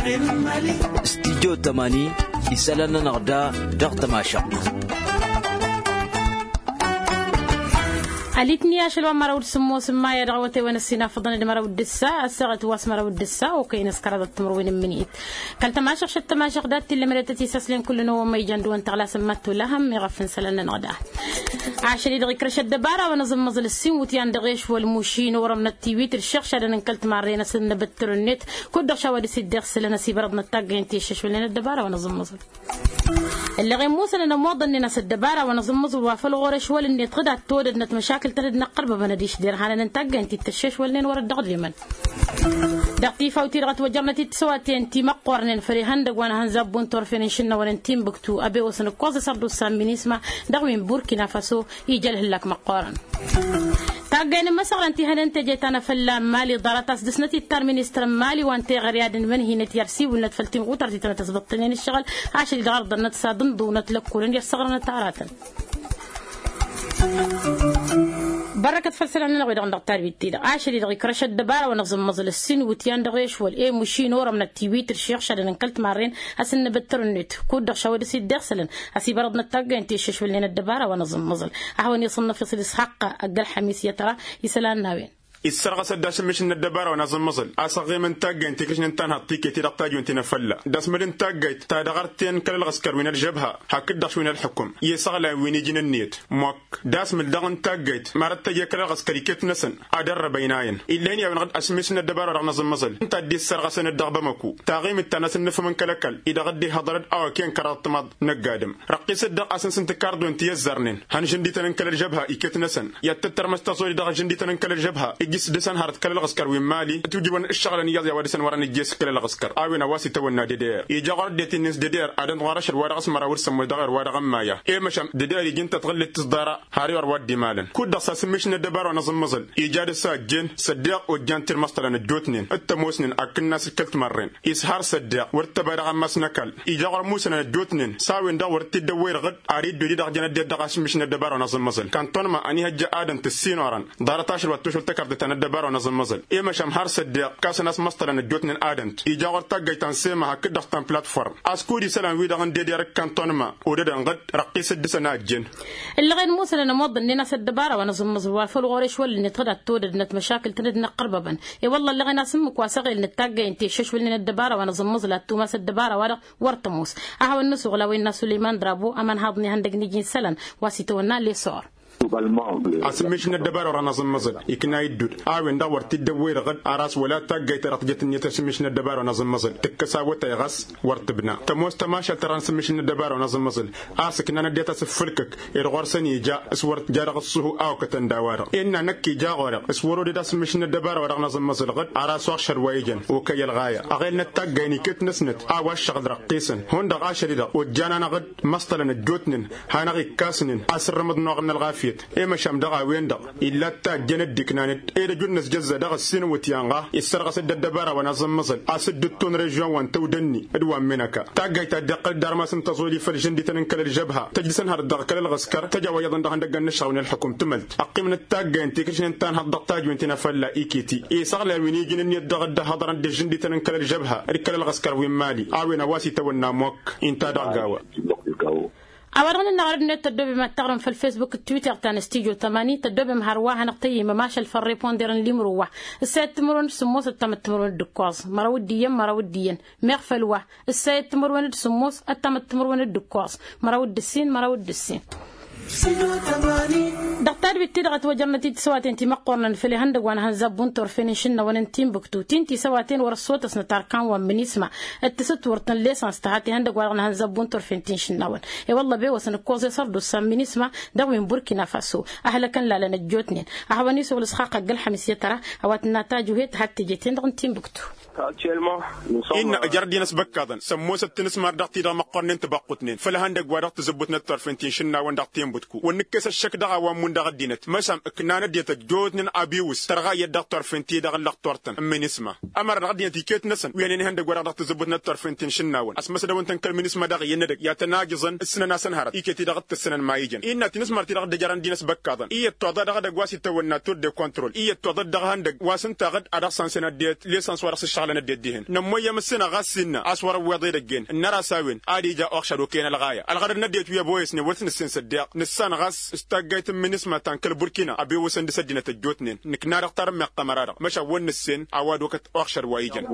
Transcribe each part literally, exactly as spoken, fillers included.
Studyo tămani isălan-nănăɣ da dăɣ-tămašăɣt. Alitni ašăl wa n-măraw d-sǝmmos n-maya dăɣ-awătay wa n-ăssinafăḍăn d-măraw d-ǝssa ăssaɣăt wa s-măraw d-ǝssa okăy n-ăskăraḍăt timǝrwen n-imǝnit. Kăl-tămašăɣ šăt tămašăɣ dat-t-illa măretet isăslen kull-năwăn ma ijan dăɣ-wăn tăɣlasăn ma t-tolahăm iɣăf n-isălan-nănăɣ da. Ašăl-i-dăɣ ikrăš ăddăbara wa n-aẓǝmmăẓǝl ǝssin wǝtyan dăɣ-ešwăl muši n-orămnăt tiwit d-iššăɣšadăn n-kăl-timarren a-s ǝnnăbăttăr-net kud-dăɣ šawa dăɣ-s-dd-iɣsǝlăn ăsibărăḍnăt taggăyăn ti ǝššăšwălnen ăddăbara wa n-aẓǝmmăẓǝl. Ǝlleɣ-i musănăn ămoḍănnen a-s ăddăbara wa n-aẓǝmmăẓǝl wa făl ɣur-ešwăl-net ɣǝd ad-t-odădnăt măšakǝl-tăn d-inăqqărbăbăn ad-išder hanănăn taggăyăn ti t-ǝššăšwălnen wăr-dd-ăɣdimăn. Dăɣ-tifawt-i-dăɣ ătwăjărnăt-dd tisăwaten ti măqqornen făll-ihăndăgg wa n-ehănzab buntor fenăn išǝnnawăn n-tinbǝktu ăbewăsăn ǝkkoẓ isărdusa n-minisma dăɣ-wi n-burkina faso. Ija ălhǝllak măqqorăn. Taggăyăn n-imăsăɣrăn ti hănen teje ta n-afălla n-mali ḍarăt a-s dăɣ-snăt ittar ministăr n-mali wa n-teɣăre ad-ǝnmăn hin-ătyar siwǝlnăt făll-tinɣutăr ti tănăt ăsbăṭṭănen ǝššăɣǝl. Ašăl-i-dăɣ ărḍănnăt s-ad-ǝnḍǝwnăt lăkkolăn i-ăssăɣrănăt aratăn. Bărrăkăt făll-isălan-nănăɣ wi dăɣ-năɣ tarbit-ti-dăɣ ašăl-i-dăɣ ikrăš ăddăbara wa n-aẓǝmmăẓǝl ǝssin iwǝtyan dăɣ-ešwăl i-muši n-orămnăt tiwit d-iššăɣšadăn n-kăl-timarren a-s ǝnnăbăttăr-net kud-dăɣ šawăd s-dd-iɣsălăn. A-s ibărăḍnăt taggăyăn ti ǝššăšwălnen ăddăbara wa n-aẓǝmmăẓǝl. A hawăn-iṣănnăf iṣǝl isxaqqa ăgg-ălxămis i-tăra isălan n-a-wen. Issărɣăs-dd ašǝmmǝš n-ăddăbara wa n-aẓǝmmăẓǝl a-s ăɣɣimăn taggăyăn tikrǝš n-tanhaḍt tiket-i-dăɣ tajwen ti n-afălla d-asmǝd n-taggayt ta dăɣ-arten kăl-ălɣǝskăr wi n-ălžăbha hakd-dăɣ-š wi n-ălḥukǝm i-isăɣlayen wi n-iji n-ǝnniyăt. Mok d-asmǝl daɣ n-taggayt mărăt tăje kăl-ălɣǝskăr iket-năsăn ad-ărrăbăynayăn. Ill'-en i-a-wen-dăɣ d-asǝmmǝš n-ăddăbara wa dăɣ-năẓǝmmăẓǝl ǝnta a dd-issărɣăsăn-dd dăɣ-bamăku taɣimit ta n-asǝnnǝfăm n-kăl-ăkall-i-dăɣ dd-ihăḍăr-dd a-wa ken kăraḍ tǝmaḍ n-ăgg-adǝm. Răqqis-dd dăɣ-a-s ǝnsǝn tǝkarḍwen ti ăzzărnen hăn žǝndităn n-kăl-ălžăbha iket-năsăn i-ad-tǝttărmăs taẓoli dăɣ-žǝndităn n-kăl-ălžăbha ǝjjǝs dăr-săn hărăt kăl-ălɣǝskăr wi n-mali ǝtwǝjǝbăn ǝššăɣǝlăn iyyăḍ i-a-wa dăr-săn wărăn ǝjjees kăl-ălɣǝskăr a-wen a-wa s-itawănna dedeer ija ɣur-ăddinăt-in-dăɣ s-dedeer ad-ănɣarăšăd wa dăɣ-s măraw d-sămmos dăɣ-er wa dăɣ-ămmaya. I-măšan dedeer iji n-tătɣǝllet tǝẓḍara har i-wăr wa dd-imalăn kud-dăɣ s-asǝmmǝš n-ăddăbara wa n-aẓǝmmăẓǝl ija dăr-s a ăjjeen. Săddeɣ ojjan tirmăṣṭălăn ăjjootnen d-tămoosnen akǝnnas d-kăl-timărren ishar săddeɣ wăr t-ăba dăɣ-ammas n-ăkall ija ɣur-musănăn ăjjootnen s-a-wen-dăɣ wăr t-dd-ăwwăy dăɣ-dd ar iddud-i-dăɣ jăn ăddinăt dăɣ-asǝmmǝš n-ăddăbara wa n-aẓǝmmăẓǝl kăntănma ănihăjja ad-ănt ǝssin orăn ḍarăt ašăl wa t-tošăl tăkarḍet ta n-ăddăbara wa n-aẓǝmmăẓǝl. I-măšan har săddeɣ kasăn-as măṣṭălăn ăjjootnen ad-ănt ija ɣur-taggăyt ta n-sema hakd-dăɣ ta n-platform a-s kud-isălan-wi-dăɣ n-dedeer d-kăntănma odăd-ănɣăd răqqis dd-dăr-săn a ăjjeen. Ǝllăɣen musănăn ămoḍănnen a-s ăddăbara wa n-aẓǝmmăẓǝl wa făl ɣur-ešwăl-net ɣǝd ad-t-odădnăt măšakǝl-tăn d-inăqqărbăbăn. I-wălla ǝllăɣen a-s ǝmmǝk wa s-ăɣelnăt taggăyăn ti ǝššăšwălnen ăddăbara wa n-aẓǝmmăẓǝl ad-tumas ăddăbara-wa-dăɣ wăr tămoos. A hawăn-nǝsuɣǝl a-wen n-a sulăyman drabo ămănhaḍ n-ihăndăg n-iji n-isălan wa s-itawănna lesor. Asǝmmǝš n-ăddăbara wa n-aẓǝmmăẓǝl ikna iddud a-wen-dăɣ wăr t-dd-ăwwăy dăɣ-dd ar a-s wăla taggayt ta dăɣ-tijăt ǝnniyăt asǝmmǝš n-ăddăbara wa n-aẓǝmmăẓǝl tǝkkăs awătay ɣas wăr tǝbna tămoos tămašalt ta dăɣ-nǝsǝmmǝš n-ăddăbara wa n-aẓǝmmăẓǝl. A-s ǝknan ăddinăt a-s ǝffǝlkǝk i-dăɣ wăr-săn ija s-wăr t-ja dăɣ-ǝṣṣuhu a okătăn d-a-wa-dăɣ innă năkk ija ɣur-eɣ s-wăr-odăd asǝmmǝš n-ăddăbara wa dăɣ-năẓǝmmăẓǝl ɣǝd ar a-s oɣšăd wa ijăn. Okăyăl ɣaya ăɣelnăt taggayăn iket-năsnăt a-wa ăššăɣǝl răqqisăn hundăɣ ašăl-i-dăɣ ojjan-anăɣ-dd măṣṭălăn ăjjootnen hanăɣ-ikkasnen a-s ǝrrǝmǝḍ n-oɣrǝm n-ălɣafyăt. I-măšan dăɣ-a-wen-dăɣ illa d-tajjăn dd-iknan-dd ed ăjun n-ăzjăzza dăɣ-ǝssin iwǝtyan ɣa issărɣăs-dd ăddăbara wa n-aẓǝmmăẓǝl a-s dd-ǝtton režion wa n-tăwdănni d-wa n-minăka. Taggayt ta dd-iqqăl-dd armas n-tăẓoli făll-žǝndităn n-kăl-ălžăbha tăjjǝsăn hărăt dăɣ-kăl-ălɣǝskăr tăj a-wa iyyăḍ ănn dăɣ-ihăndăgg n-ăššăɣ wi n-ălxukum tǝmălt. Ăqqimnăt taggayăn tikrǝšnen tanhăḍ dăɣ-tajwen ti n-afălla ikiti isăɣlay wi n-iji n-ǝnniyăt dăɣ-dd-ăhhăḍărăn d-žǝndităn n-kăl-ălžăbha d-kăl-ălɣǝskăr wi n-mali. A-wen a-wa s-itawănna mokk inta dăɣ-gawa. A-wa-dăɣ nǝnnaɣ ărăd-net tăddobem ad-taɣrǝm făll-facebook d-twitter ta n-stujo tămani tăddobem hărwa hanăɣ-tăyyǝmăm ašăl făll-riponder n-limro wa. Ǝssayăt timǝrwen d-sǝmmos ăttamăt timǝrwen d-ǝkkoẓ măraw d-iyyăn măraw d-iyyăn. Meɣ făll-wa ǝssayăt timǝrwen d-sǝmmos ăttamăt timǝrwen d-ǝkkoẓ măraw d-ǝssin măraw d-ǝssin. Dăɣ-tadwit-ti-dăɣ ătwăjărnăt-dd tisăwaten ti măqqornăn făll-ihăndăgg wa n-ehănzab buntorfen n-išǝnnawăn n-tinbǝktu ti n-tisăwaten wăr-ăssotăsnăt arkan wa n-minisma d-tasǝtwurt n-lesăns tăhat ihăndăgg-wa-dăɣ n-ehănzab buntorfen ti n-išǝnnawăn. I-wălla ăbewăsăn ǝkkoẓ i-sărdusa n-minisma dăɣ-wi n-burkina faso. Ăhlăkăn lalăn ăjjootnen a hawăn-isuɣǝl ǝsxaqq ăgg-ălxămis i-tăra a-wa tǝnna tajuhet had-teje-ten-dăɣ n-tinbǝktu. Innă ǝjrăd-i n-asbăkkaḍăn sămmosăt tinǝsmar dăɣ-ti-dăɣ măqqornen tibăqqutnen făll-ihăndăgg-wa-dăɣ tizǝbbutnăt torfen ti n-išǝnnawăn dăɣ-tinbǝktu. Wăr nǝkkes ăššăk dăɣ-a-wa ǝmmun dăɣ-ăddinăt măšan ǝknanăt-dd ăjjootnen abiwǝs tărɣa iyyăt dăɣ-turfen ti-dăɣ n-lăqtor-tăn n-minisma. Ămăra dăɣ-ăddinăt iket-năsăn wi ănen ihăndăgg wa-dăɣ dăɣ-tǝzzǝbbut n-ăṭṭarfen ti n-išǝnnawăn ăsmăsdăwăn-tăn kăl-minisma dăɣ-iyyăn n-edăgg i-ad-tăn-ajǝẓăn ǝssǝnăn a-s ănhărăt iket-i-dăɣ t-tǝssǝnăn ma ijăn. Innă tinǝsmăr-ti-dăɣ dd-ăjrăn dinăs băkkaḍăn iyyăt toḍa dăɣ-edăgg wa s-itawănna tur de kontrol iyyăt toḍa-dd dăɣ-ehăndăgg wa s-ǝnta aɣǝd ad-dăɣ-sănsăn ăddinăt lesăns wa dăɣ-s ǝššăɣǝlăn ăddinăt dihen nămmoyyăm ǝssin ăɣas s-innă a-s wăr-ăwweḍ edăgg-en ǝnnăr a-s a-wen ad-ija uɣšad okăyăn ălɣaya ălɣădăd n-ăddinăt wi ăboyăsnen wăr t-nǝssen s-ăddeeɣ nǝssan ɣas s-taggayt n-minisma ta n-kăl-burkina ăbewăsăn dăɣ-s ăddinăt ăjjootnen. Nǝkna-dăɣ tarǝmmeɣt ămăra-dăɣ măšan wăr nǝssen a-wa d-okăt uɣšăd wa ijăn.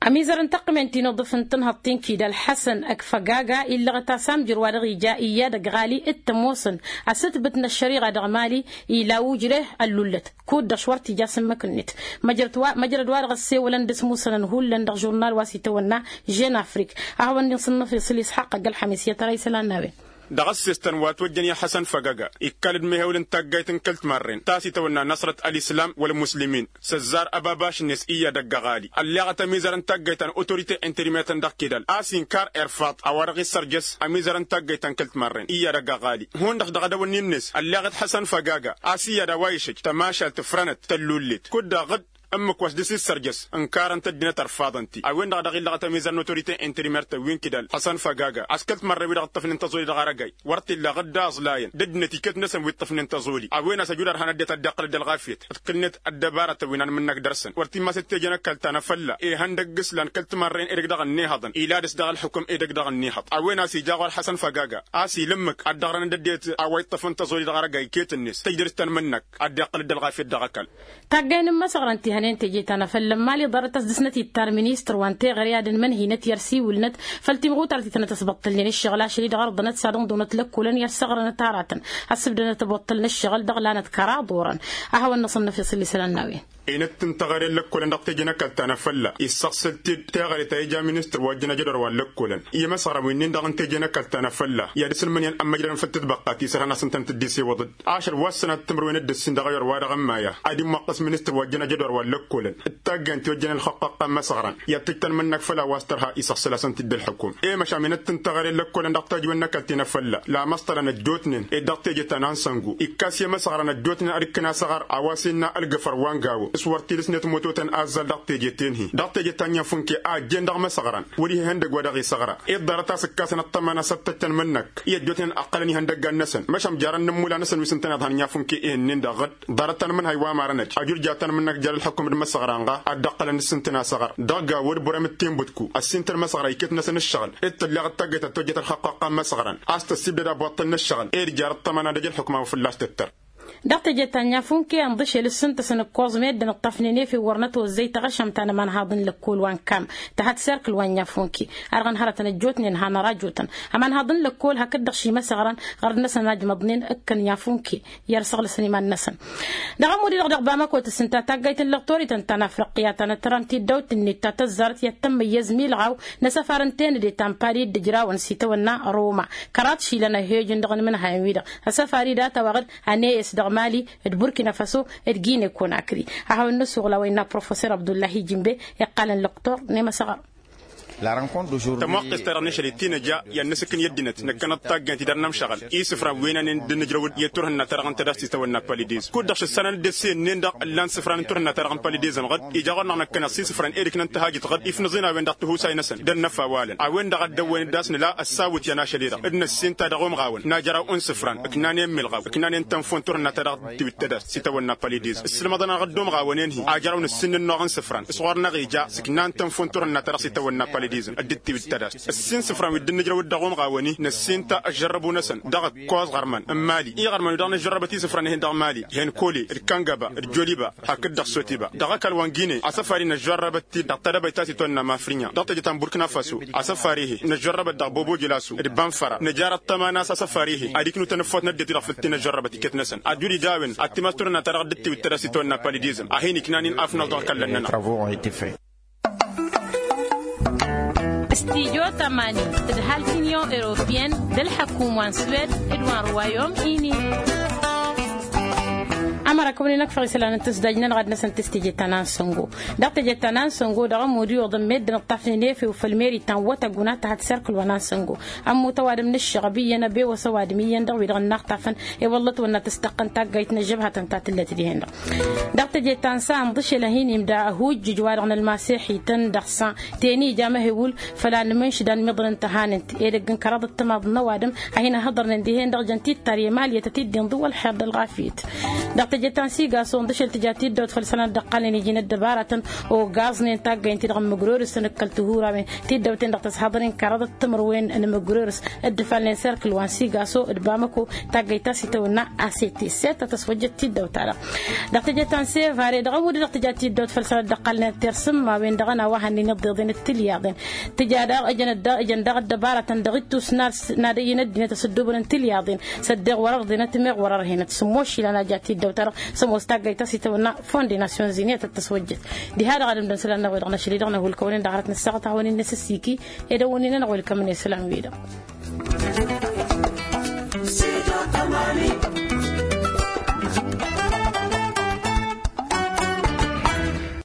Ămizăr n-taqqǝmen ti n-aḍǝf n-tǝnhăḍt ti n-kidal ḥăsăn ăkfăgaga illăɣăt-as amjăr wa dăɣ-ija iyyădăgg ɣali d-tămoosăn asǝtbǝt n-ăššăriɣa dăɣ-mali ila ujreh ăllullăt. Kud-dăɣ s-wăr t-ija s-ǝmmǝk-net. Măjrăd wa dăɣ-ăssewălăn d-asmusănăn hullan dăɣ-žurnal wa s-itawănna žen afrik. A hawăn-dd-inṣǝnnăf iṣǝl isxaqq ăgg-ălxamis i-tăra isălan n-a-wen. Dăɣ-ăssestăn wa ătwăjjăn i-ălḥăsăn făgăga ikkal-dd mehewǝl n-taggayt n-kăl-timarren ta s-itawănna năṣrăt ălislam wăl-muslimin s-ăzzar ăbabaš-net iyyădăgg ăɣali ălleɣăt ămizăr n-taggayt ta n-autorite interimer-tăn dăɣ-kidal a-s inkar irfaḍ a-wa-dăɣ issărjăs ămizăr n-taggayt ta n-kăl-timarren iyyădăgg ăɣali. Hundăɣ dăɣ-edăwănni-net ălleɣăt ḥăsăn făgăga a-s iyyăd a-wa išăj tămašalt fărănăt tăllullet kud-dăɣ dd-ǝmmǝk wa s-dăr-s issărjăs ǝnkarăn-t ăddinăt ărfaḍăn-t-i a-wen-dăɣ a dăɣ-illăɣăt ămizăr n-autorite interimer-tăn wi n-kidal ḥăsăn făgăga a-s kăl-timărrew-i-dăɣ ǝṭṭăfnen tăẓoli dăɣ-arăgay. Wăr t-illa aɣǝd d-aẓlayăn d-ăddinăt iket-năsăn wi ǝṭṭăfnen tăẓoli a-wen a-s ăjud ărhan ăddinăt ad-dd-iqqăl dd-ălɣafyăt d-kăl-net ăddăbarătăn wi n-anmǝnnak dăr-săn wăr t-immas d-teje n-ăkall ta n-afălla. Ihăndăgg islan kăl-timărren edăgg dăɣ-ănnihăḍăn ila dăr-s dăɣ-ălxukǝm edăgg dăɣ-ănnihăḍ a-wen a-s ija ɣur-ălḥăsăn făgăga a-s ila ǝmmǝk ad-dd-ăɣrăn d-ăddinăt a-wa iṭṭăfăn tăẓoli dăɣ-arăgay iket-net tăjdăr-s tanmǝnnak ad-dd-iqqăl dd-ălɣafyăt dăɣ-ăkall. Taggay n-imăsăɣrăn ti hănen teje ta n-afălla n-mali ḍarăt a-s dăr-snăt ittar ministăr wa n-teɣăre ad-ǝnmănhinăt i-ărsiwǝlnăt făll-timɣutar ti tănăt ăsbăṭṭălnen ǝššăɣǝl ašăl-i-dăɣ ărḍănăt s-ad-ǝnḍǝwănăt lăkkolăn i-ăssăɣrănăt aratăn. Ăssǝbdănăt ăbwăṭṭălăn ǝššăɣǝl dăɣ-lanăt kăraḍ orăn. A hawăn-năṣănnăf iṣǝlli isălan n-a-wen. Enăt n-teɣăre n-lăkkolăn dăɣ-teje n-ăkall ta n-afălla issăɣsăl-t-dd teɣăre ta ija ministăr wa ăjjăn ajădor wa n-lăkkolăn i-imăsăɣrăn wi-nin-dăɣ n-teje n-ăkall ta n-afălla i-ad-ǝsǝlmǝnǝyăn ămmăjrădăn făll-tǝtbăqqa ti s-ărhan a-s ǝntănăt dd-isiwǝḍ-dd ašăl wa s-sănat timǝrwen d-ǝssin dăɣ-ayăr wa dăɣ-ămmaya. Ad-immăqqǝs ministăr wa ăjjăn ajădor wa n-lăkkolăn d-taggayăn ti ojjăn ălxăqqăqqa n-imăsăɣrăn i-ad-tǝjj tanmǝnnak făll-a-wa s-tărha isăɣsăl-asăn-t-dd ălxukum. I-măšan enăt n-teɣăre n-lăkkolăn dăɣ-tajǝwen n-ăkall ti n-afălla lamăṣṭălăn ăjjootnen ed dăɣ-teje ta n-ansăngu ikkas i-imăsăɣrăn ăjjootnen ad-ǝkkǝn asăɣăr a-wa s-innă ălgǝfăr wa n-gawo s-wăr t-ila dăɣ-snăt mototăn azzal dăɣ-teje-ten-hi dăɣ-teje ta n-inyafunke a ăjjeen dăɣ-imăsăɣrăn wăr-ih ihăndăgg wa dăɣ-isăɣra. Ed ḍarăt a-s ǝkkasăn ăṭṭăma n-asăttăt tanmǝnnăk i-ăjjootnen ăqqălăn ihăndăggan-năsăn măšan jarăn n-ǝmmula-năsăn wi s-ǝntăneḍ han inyafunke ihǝnnin-dăɣ ɣǝd ḍarăt tanmǝnhay wa marăn-ăj ajurja tanmǝnnăk jer-ălxukum d-imăsăɣra ănɣa ad-dd-ăqqălăn d-sǝntǝn asăɣăr dăɣ-gawo d-burăm d-tinbǝtku ăssintăn imăsăɣra iket-năsăn ǝššăɣǝl d-tǝlleɣ d-taggayt ta tojjăt ălxăqqăqqa n-imăsăɣran a-s tăssibdăd abwaṭṭăl n-ǝššăɣǝl ed jar ăṭṭăma n-ad-ăj ălxukum a-wa fălla-s tǝttăr. Dăɣ-teje ta n-inyafunke ănḍǝšel ǝssǝntăsăn ǝkkoẓ meddǝn ǝṭṭăfnen efew wăr nătozzăy taɣăšămt ta n-ămanhaḍ n-lăkkol wa n-kam tăhăt serkǝl wa n-inyafunke. Ar ɣăn hărătăn ăjjootnen hanăr-ajotăn ămanhaḍ n-lăkkol hakd-dăɣ šimăsăɣrăn ɣărd-năsăn ajmăḍnen ǝkkăn inyafunke i-ad-săɣlăsăn iman-năsăn. Dăɣ-ămud-i-dăɣ dăɣ-bamako tǝssǝnta taggayt n-lăɣtorităn ta n-afriqya ta n-ătrăn tiddawt-net ta tăzzarăt i-ad-tămmăyyăz milɣaw n-asăfar n-tenăde ta n-pali d-ǝjrawăn s-itawănna roma. Kăraḍ išilan a ăhhejăn dăɣ-inǝmǝnhayăn-wi-dăɣ asăfar-i data-wa ɣǝd ăneyes dăɣ-mali d-burkina faso d-gine konakri. A hawăn-nǝsuɣǝl a-wa innă professor abdullahi jimbe iqqalăn lăqtor n-emăsăɣăr. Tămoqqes-ta-dăɣ n-ašăl-i ti nǝja i-ad-nǝsǝkkǝn i-ăddinăt năkkănăt taggăyăn ti dăr-nămšăɣăl isǝfran wi n-ănen dd-nǝjrăw-dd i-turhǝnna-ta-dăɣ n-tadast s-itawănna palidiz kud-dăɣ šăssanăn dd-esse ǝnnen-dăɣ ǝllan isǝfran n-turhǝnna-ta-dăɣ n-palidiz ănɣăd ija ɣur-năɣ năkkăneḍ s-isǝfran ed ǝknăn tăhajǝt ɣǝd ifnǝẓ-in a-wen-dăɣ tihusay-năsăn d-ănnăf awalăn a-wen-dăɣ a dd-ăwwăyăn d-asnǝla ăssawǝt i-ănašăl-i-dăɣ d-năssin ta dăɣ-umɣawăn n-ajraw n-isǝfran ǝknanen milɣaw ǝknanen tănfo n-turhǝnna-ta-dăɣ dd-tiwǝd tadast s-itawănna palidiz ǝssǝlmăḍăn-aɣ dd-umɣawăn-en-hi ajraw nǝssin n-ănnuɣ n-isǝfran s-ɣur-năɣ ija s-ǝknan tănfo n-turhǝnna-ta-dăɣ s-itawănna palidiz. Dd-tiwǝd tadast ǝssin isǝfran wi dd-nǝjrăw-dd dăɣ-umɣawăn-i năssin ta ăžžărrăbu-năsăn dăɣ-ǝkkoẓ ɣărmăn n-mali iɣărmăn-wi-dăɣ nǝžžărrăbăt isǝfran-en-hi dăɣ-mali henkolet d-kăngăba d-joliba hakd-dăɣ sotiba dăɣ-ăkall wa n-gine asăfar-i năžžărrăbăt-t-dd dăɣ-tadăbayt ta s-itwănna mafrǝnya dăɣ-teje ta n-burkǝna faso. Asăfar-e-hi năžžărrăbăt dăɣ-bobo jălasu d-bănfăra nǝjar ăṭṭăma n-a-s asăfar-e-hi ad-iknu tanăffot n-ăddinăt-i-dăɣ făll-tinăžžărrăbăt iket-năsăn ad-dd-ija a-wen ad-timas turhǝnna-ta-dăɣ dd-tiwǝd tadast itwănna palidizm a hin-iknanin afnăẓ dăɣ-kăllăn-nănăɣ. Stijo tămani d-halk union europeyăn d-ălḥăkum wa n-swed d-wa n-ruwayom ini. Ămăra kăwăn-in-ăkfăɣ isălan n-tǝsdaj-nănăɣ ad-năsăn tǝs teje ta n-ansăngo. Dăɣ-teje ta n-ansăngo dăɣ-ămud iwǝḍăn meddǝn ǝṭṭafnen efew făll-meri ta n-wătăggu n-ad-tăhăd serkǝl wa n-ansăngo. Ămmut ăwadǝm n-ǝššăɣăb iyyăn ăbewăs ăwadǝm iyyăn dăɣ-wi-dăɣ ǝnnăɣ tafăn i-wălla ătwănna tǝstăqqăn taggayt n-ăžžăbhătăn ta tǝllăt dihen-dăɣ. Dăɣ-teje ta n-sa ǝnḍǝšel ad-hin-imda ăhujjǝj wa-dăɣ n-ălmasexităn dăɣ-sa teni ija măhewǝl făll-ad-nǝmǝnšǝd anmiḍăn n-tăhanǝnt edăgg n-kăraḍăt timaḍ n-ăwadǝm a hin-ăhhăḍărnen dihen-dăɣ jăn tittăr i-ămaliyăt a t-dd-inḍǝw ălxer d-ălɣafyăt. Dăɣ-teje ta n-sigaso ǝnḍǝšel tǝja tiddawt făll-isălan dd-ăqqalnen iji n-ăddăbaratăn ogaẓnen taggăyăn-ti-dăɣ n-imǝgrorǝs n-ǝkkăl tihurawen tiddawten dăɣ-tăshăḍăr-in kăraḍăt timǝrwen n-imǝgrorǝs dd-ǝfalnen serkǝl wa n-sigaso d-bamăko taggăyt ta s-itawănna asete set a tăswăjjăt tiddawt-ta-dăɣ. Dăɣ-teje ta n-sevare dăɣ-ămud-i dăɣ-tǝja tiddawt făll-isălan dd-ăqqalnen ătter sǝmmawen dăɣ-ănawahăn-in iḍeḍen d-tilyaḍen tǝja daɣ ǝjăn daɣ ăddăbaratăn dăɣ-ittus n-ad-ăyyǝn ăddinăt asǝddubăn n-tilyaḍen s-ăddeɣ wăr-ărḍenăt meɣ wăr-ărhenăt s-ămmošilăn a ja tiddawt-ta-dăɣ s-ămoos taggayt ta s-itawănna fond de nasyonzini a tăt-tăswăjjăt. Diha-dăɣ ad-ǝmdăn isălan-năɣ-wi-dăɣ năšăl-i-dăɣ năhulkăwăn-in dăɣ-arăt n-ăssaɣăt a hawăn-in-năsǝssiki ed ăwwăn-in-nănăɣ welkămăn isălan-wi-dăɣ.